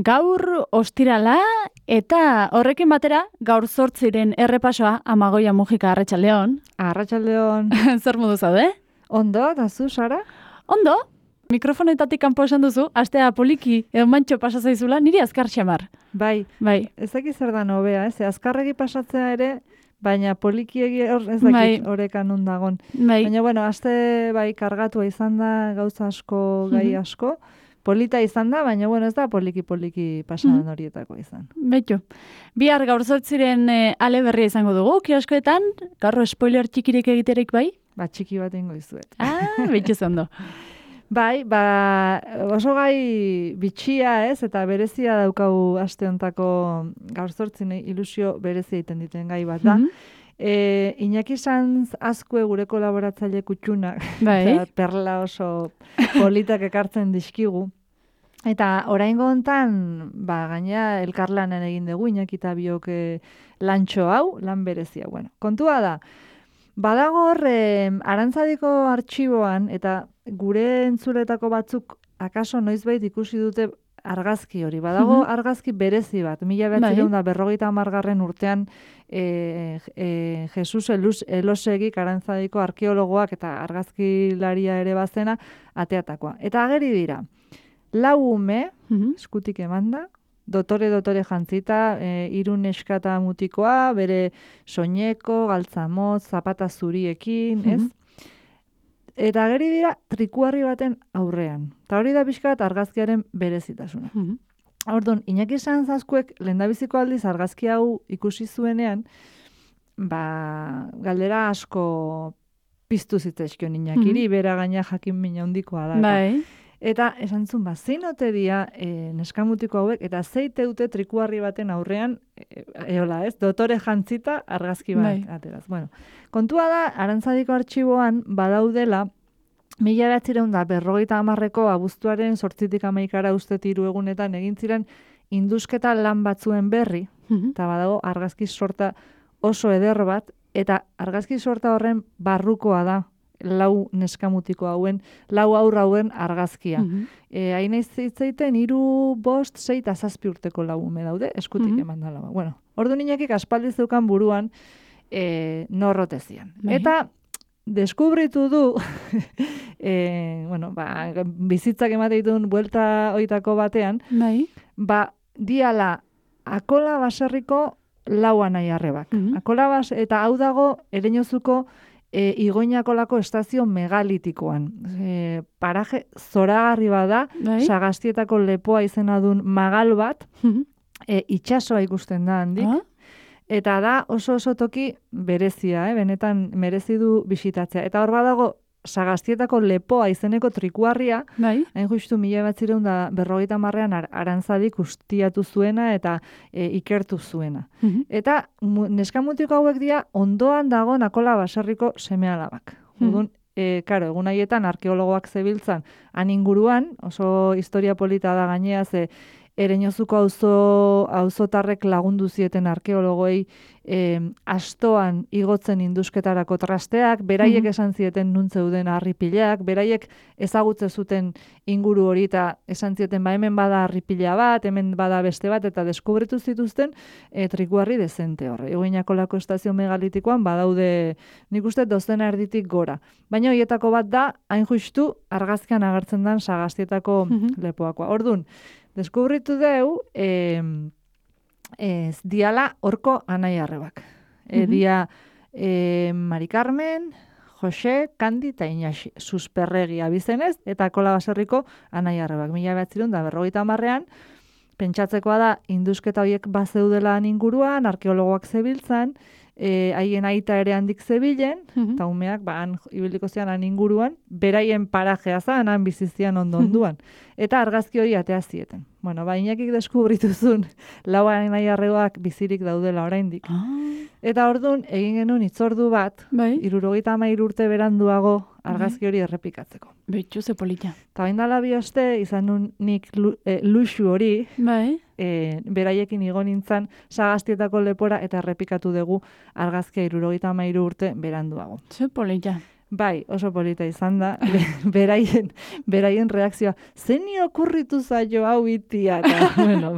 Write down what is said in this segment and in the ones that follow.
Gaur ostirala eta horrekin batera gaur 8 errepasoa Amagoia Mujika Arratsaldeon. Arratsaldeon. Zer modu zaude? Ondo, eta zu, Sara? Ondo. Mikrofonetatik kanpo esan duzu, astea poliki mantxo pasa zaizula, niri azkar xamar. Bai. Ez dakit zer da nobea, ez? Azkarregi pasatzea ere, baina polikiegi ez dakit orekan undagon. Bai. Baina, bueno, aste bai kargatua izan da, gauza asko, gai asko. Polita izan da, baina, bueno, ez da poliki pasadan horietako izan. Betxo. Bihar gaur 8 ale berria izango dugu, kioskoetan, gaur spoiler txikirik egiterik bai? Ba, txiki bat ingo izuet. Betxo zondo. Bai, oso gai bitxia ez, eta berezia daukagu aste hontako gaur 8 ilusio berezia egiten dituen gai bat da. Iñaki Sanz Azkue gure kolaboratzaile kutxunak, perla oso politak ekartzen dizkigu. Eta oraingo hontan, gaina elkarlanen egin dugu, Iñaki eta biok lantxo hau, lan berezia. Bueno, kontua da, badago hor Arantzadiko artxiboan, eta gure entzuletako batzuk akaso noizbait ikusi dute argazki hori. Badago argazki berezi bat. 1950 urtean Jesus Elosegik Arantzadiko arkeologoak eta argazkilaria ere bazena ateatakoa. Eta ageri dira, 4 ume, eskutik emanda, dotore jantzita, 3 neska eta mutikoa, bere soineko, galtzamotz, zapata zuriekin, ez? Eta ageri dira trikuarri baten aurrean. Eta hori da pixka bat argazkiaren berezitasuna. Orduan, Iñaki Sanz Azkuek lehendabiziko aldiz argazki hau ikusi zuenean, galdera asko piztu zitzaizkion Iñakiri, bera gaina jakin mina handikoa da. Bai. Eta esan zuen, zein ote dia neskamutiko hauek, eta zeite dute trikuarri baten aurrean, dotore jantzita argazki bat ateraz. Bueno, kontua da, Arantzadiko artxiboan badaudela, 1950ko abuztuaren 8tik 11 uste 3 egunetan egin ziren indusketa lan batzuen berri, eta badago argazki sorta oso eder bat, eta argazki sorta horren barrukoa da, 4 neskamutiko hauen, 4 haur hauen argazkia. Hain hitzaiten 3, 5, 6 eta 7 urteko 4 ume daude, eskutik eman dala. Bueno, ordu Iñakik aspaldi zeukan buruan norrotezian. Eta deskubritu du, bizitzak emate dituen buelta oitako batean, diala Akola baserriko 4 anai arrebak. Eta hau dago Ereñozuko Igoinakolako estazio megalitikoan. Paraje zoragarri bada, Sagastietako lepoa izena duen magal bat, itsasoa ikusten da handik, eta da oso toki berezia, benetan merezi du bisitatzea. Eta hor badago Sagastietako lepoa izeneko trikuarria, hain justu 1950ean Arantzadik ustiatu zuena eta ikertu zuena. Eta neskamutiko hauek dira ondoan dago Akola baserriko seme-alabak. Egun haietan arkeologoak zebiltzan han inguruan, oso historia polita da gainea, Ereñozuko auzotarrek lagundu zieten arkeologoei astoan igotzen indusketarako trasteak, beraiek esan zieten nun zeuden harripilak, beraiek ezagutze zuten inguru hori eta esan zieten hemen bada harripila bat, hemen bada beste bat, eta deskubritu zituzten trikuarri dezente horre. Igoinakolako estazio megalitikoan badaude nik uste 200 erditik gora. Baina horietako bat da, hain justu argazkian agertzen den Sagastietako lepoakoa. Orduan, deskubritu deu, diala horko anai arrebak. Dia Mari Carmen, Jose, Kandi eta Inaxi. Susperregi abizenez, eta Akola baserriko anai arrebak. 1950ean, pentsatzekoa da, indusketa horiek bazeudela inguruan, arkeologoak zebiltzan, haien aita ere handik zebilen, eta umeak han ibiliko zian han inguruan, beraien parajea zan, han bizizian onduan. Eta argazki hori atea zieten. Bueno, Iñakik deskubrituzun 4 anai arrebak bizirik daudela oraindik. Eta orduan, egin genuen hitzordu bat, 73 urte beranduago argazki hori errepikatzeko. Betxu ze polita. Eta bain dala bioste, izan nun nik luxu hori, beraiekin igo nintzen Sagastietako lepora eta errepikatu dugu argazkia 73 urte beranduago. Ze polita. Bai, oso polita izan da, beraien reakzioa, zeni okurritu zaio hau itia, eta, bueno,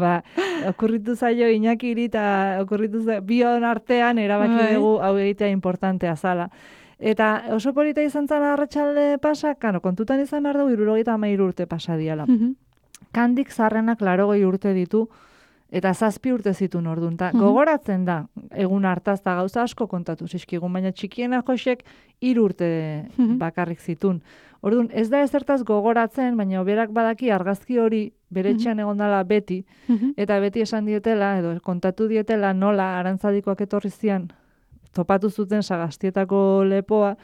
okurritu zaio Iñakiri, eta okurritu zaio, bion artean erabaki dugu hau egitea importantea zala. Eta oso polita izan zala arratsalde pasa, kontutan izan behar dugu 73 urte pasa diala. Kandik zarrenak 80 urte ditu, eta 7 urte zituen orduan. Gogoratzen da, egun hartaz da gauza asko kontatu zizkigun, baina txikiena Josek 3 urte bakarrik zituen. Orduan, ez da ezertaz gogoratzen, baina berak badaki argazki hori bere etxean egon dela beti, eta beti esan dietela, edo kontatu dietela nola Arantzadikoak etorri zian, topatu zuten Sagastietako lepoa,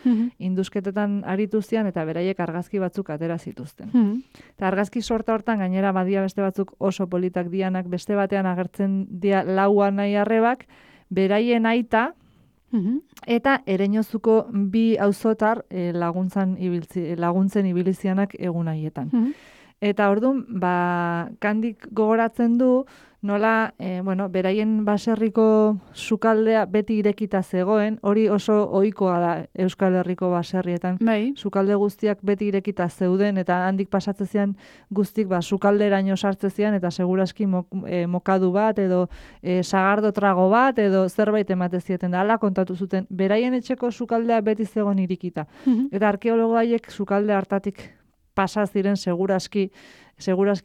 indusketetan aritu zian, eta beraiek argazki batzuk atera zituzten. Eta argazki sorta hortan gainera badia beste batzuk oso politak dianak, beste batean agertzen dia Laua nahi arrebak, beraien aita, eta Ereñozuko 2 auzotar laguntzen ibilizianak egun haietan. Eta orduan, Kandik gogoratzen du, nola, beraien baserriko sukaldea beti irekita zegoen, hori oso ohikoa da Euskal Herriko baserrietan. Sukalde guztiak beti irekita zeuden, eta handik pasatzen zian guztik sukalderaino sartzen zian, eta seguraski mokadu bat, edo sagardo trago bat, edo zerbait emate zieten da, ala kontatu zuten. Beraien etxeko sukaldea beti zegoen irikita. Eta arkeologo haiek sukalde hartatik pasa ziren seguraski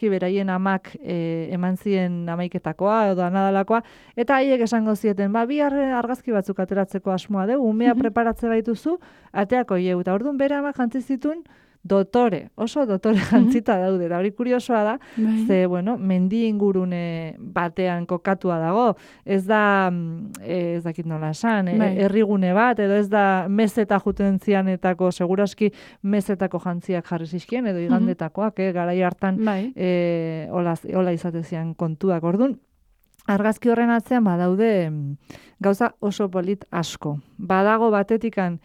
beraien amak eman zien amaiketakoa edo anadalakoa, eta haiek esango zieten, bi argazki batzuk ateratzeko asmoa dugu, umea preparatze baituzu, ateako ieu, eta orduan bere amak jantzi zituen oso dotore jantzita daude, da hori kuriosoa da, ze, mendi ingurune batean kokatua dago, ez da, ez dakit nola esan, herrigune bat, edo ez da mezeta juten zianetako, seguraski mezetako jantziak jarri zizkien, edo igandetakoak, garai hartan hola izate zian kontuak, orduan, argazki horren atzean badaude gauza oso polit asko. Badago batetikan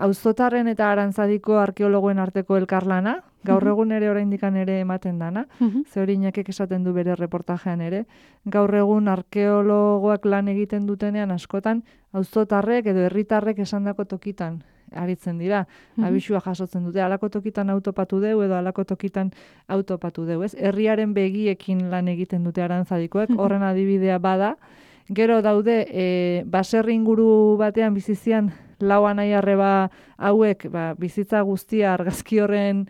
auzotarren eta Arantzadiko arkeologoen arteko elkarlana, gaur egun ere oraindikan ere ematen dana, ze hori Iñakek esaten du bere reportajean ere, gaur egun arkeologoak lan egiten dutenean askotan, auzotarrek edo herritarrek esandako tokitan aritzen dira, abisua jasotzen dute, alako tokitan autopatu deu edo alako tokitan autopatu deu, ez? Herriaren begiekin lan egiten dute Arantzadikoek, horren adibidea bada, gero daude, baserri inguru batean bizizian Laua nahi arreba hauek bizitza guztia argazki horren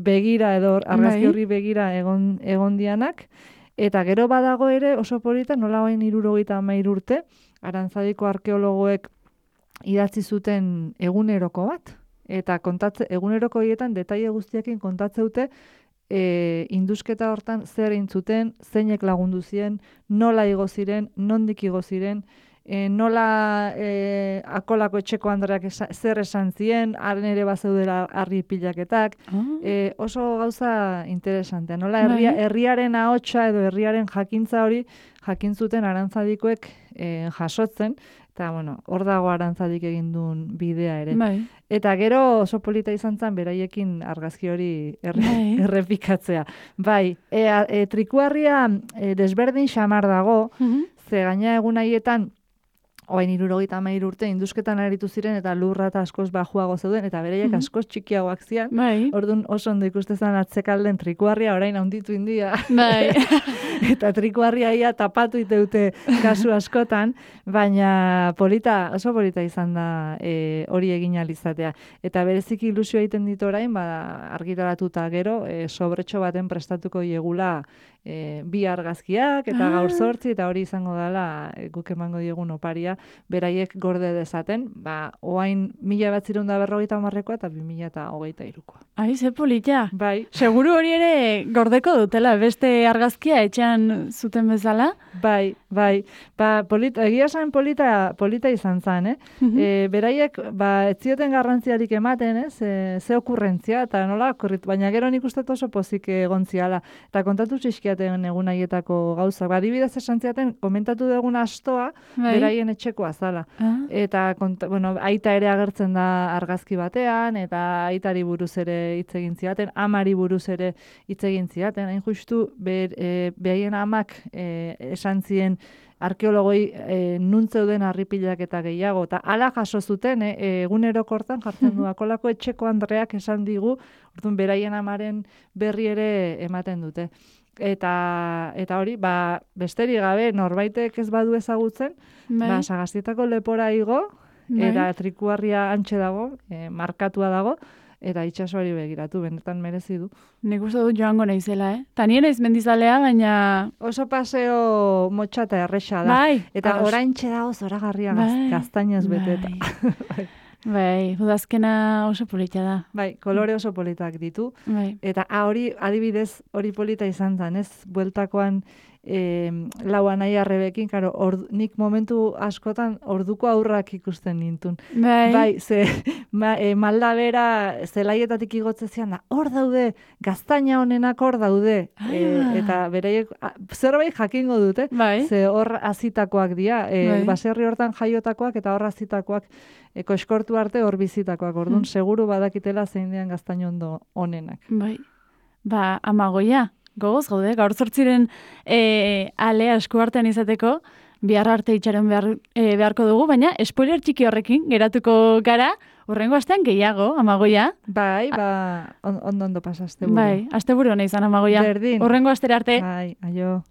begira edo argazki horri begira egon dianak, eta gero badago ere oso polita nola bain 73 urte, Arantzadiko arkeologoek idatzi zuten eguneroko bat, eta eguneroko horietan detaile guztiakin kontatze dute indusketa hortan zer egin zuten, zeinek lagundu ziren, nola igo ziren, nondik igo ziren, nola akolako etxeko andreak zer esan zien, haren ere bazeudela harri pilaketak, oso gauza interesantea. Nola herriaren ahotsa edo herriaren jakintza hori jakin zuten Arantzadikoek jasotzen, eta hor dago Arantzadik egin duen bidea ere. Eta gero oso polita izan zen beraiekin argazki hori errepikatzea. Trikuarria desberdin xamar dago, ze gaina egun haietan Oain 73 urte indusketan aritu ziren eta lurra eta askoz bajuago zeuden eta bereiek askoz txikiagoak zian. Orduan oso ondo ikusten atzekalden trikuarria orain handitu india. Eta trikuarria ia tapatu iteute kasu askotan, baina oso polita izan da hori egin alizatea. Eta bereziki ilusio egiten ditu orain, argitaratuta gero, sobretxo baten prestatuko iegula bi argazkiak eta gaur 8 eta hori izango dela guk emango diegun oparia beraiek gorde dezaten, oain 1950koa eta 2023koa. Ai, ze polita. Bai. Seguru hori ere gordeko dutela, beste argazkia etxean zuten bezala? Bai. Egia esan polita izan zen, beraiek, ez zioten garrantziarik ematen, ze okurrentzia, eta nola okurritu, baina gero nik uste oso pozik egon ziala. Eta kontatu txizkia ziaten egun haietako gauzak. Ba, adibidez esan ziaten, komentatu dugun astoa, beraien etxekoa zala. Eta, aita ere agertzen da argazki batean, eta aitari buruz ere hitz egin ziaten, amari buruz ere hitz egin ziaten. Hain justu, behaien amak esan zien arkeologoi nuntzeuden harripilak eta gehiago. Eta ala jaso zuten, egunerokortan jartzen du, akolako etxeko Andreak esan digu, orduan beraien amaren berri ere ematen dute. Eta hori, besterik gabe, norbaitek ez badu ezagutzen, Sagastietako lepora igo, eta trikuarria antxe dago, markatua dago, eta itsasoari begiratu, benetan merezi du. Nik uste dut joango naizela, Ta nien naiz mendizalea, baina... Oso paseo motxa eta erresa da. Eta oraintxe dago zoragarria gaztainez beteta. Bai, udazkena oso polita da. Bai, kolore oso politak ditu. Eta hori, adibidez, hori polita izan zen, ez? Bueltakoan lau anaiarrebekin, nik momentu askotan orduko aurrak ikusten nintun. Bai, malda bera zelaietatik igotzezian da, hor daude, gaztaina honenak hor daude. Eta bereiek, zerbait jakingo dute, ze hor azitakoak dira, baserri hortan jaiotakoak eta hor azitakoak koskortu arte hor bizitakoak, orduan, seguru badakitela zein dian gaztaino ondo honenak. Bai, Amagoia. Gogoz gaude, gaur zortziren alea eskuartean izateko, bihar arte itxaron beharko dugu, baina spoiler txiki horrekin geratuko gara, hurrengo astean gehiago, Amagoia. Bai, ondo pasa asteburu. Bai, asteburu hona izan, Amagoia. Berdin. Hurrengo astera arte. Bai, aio.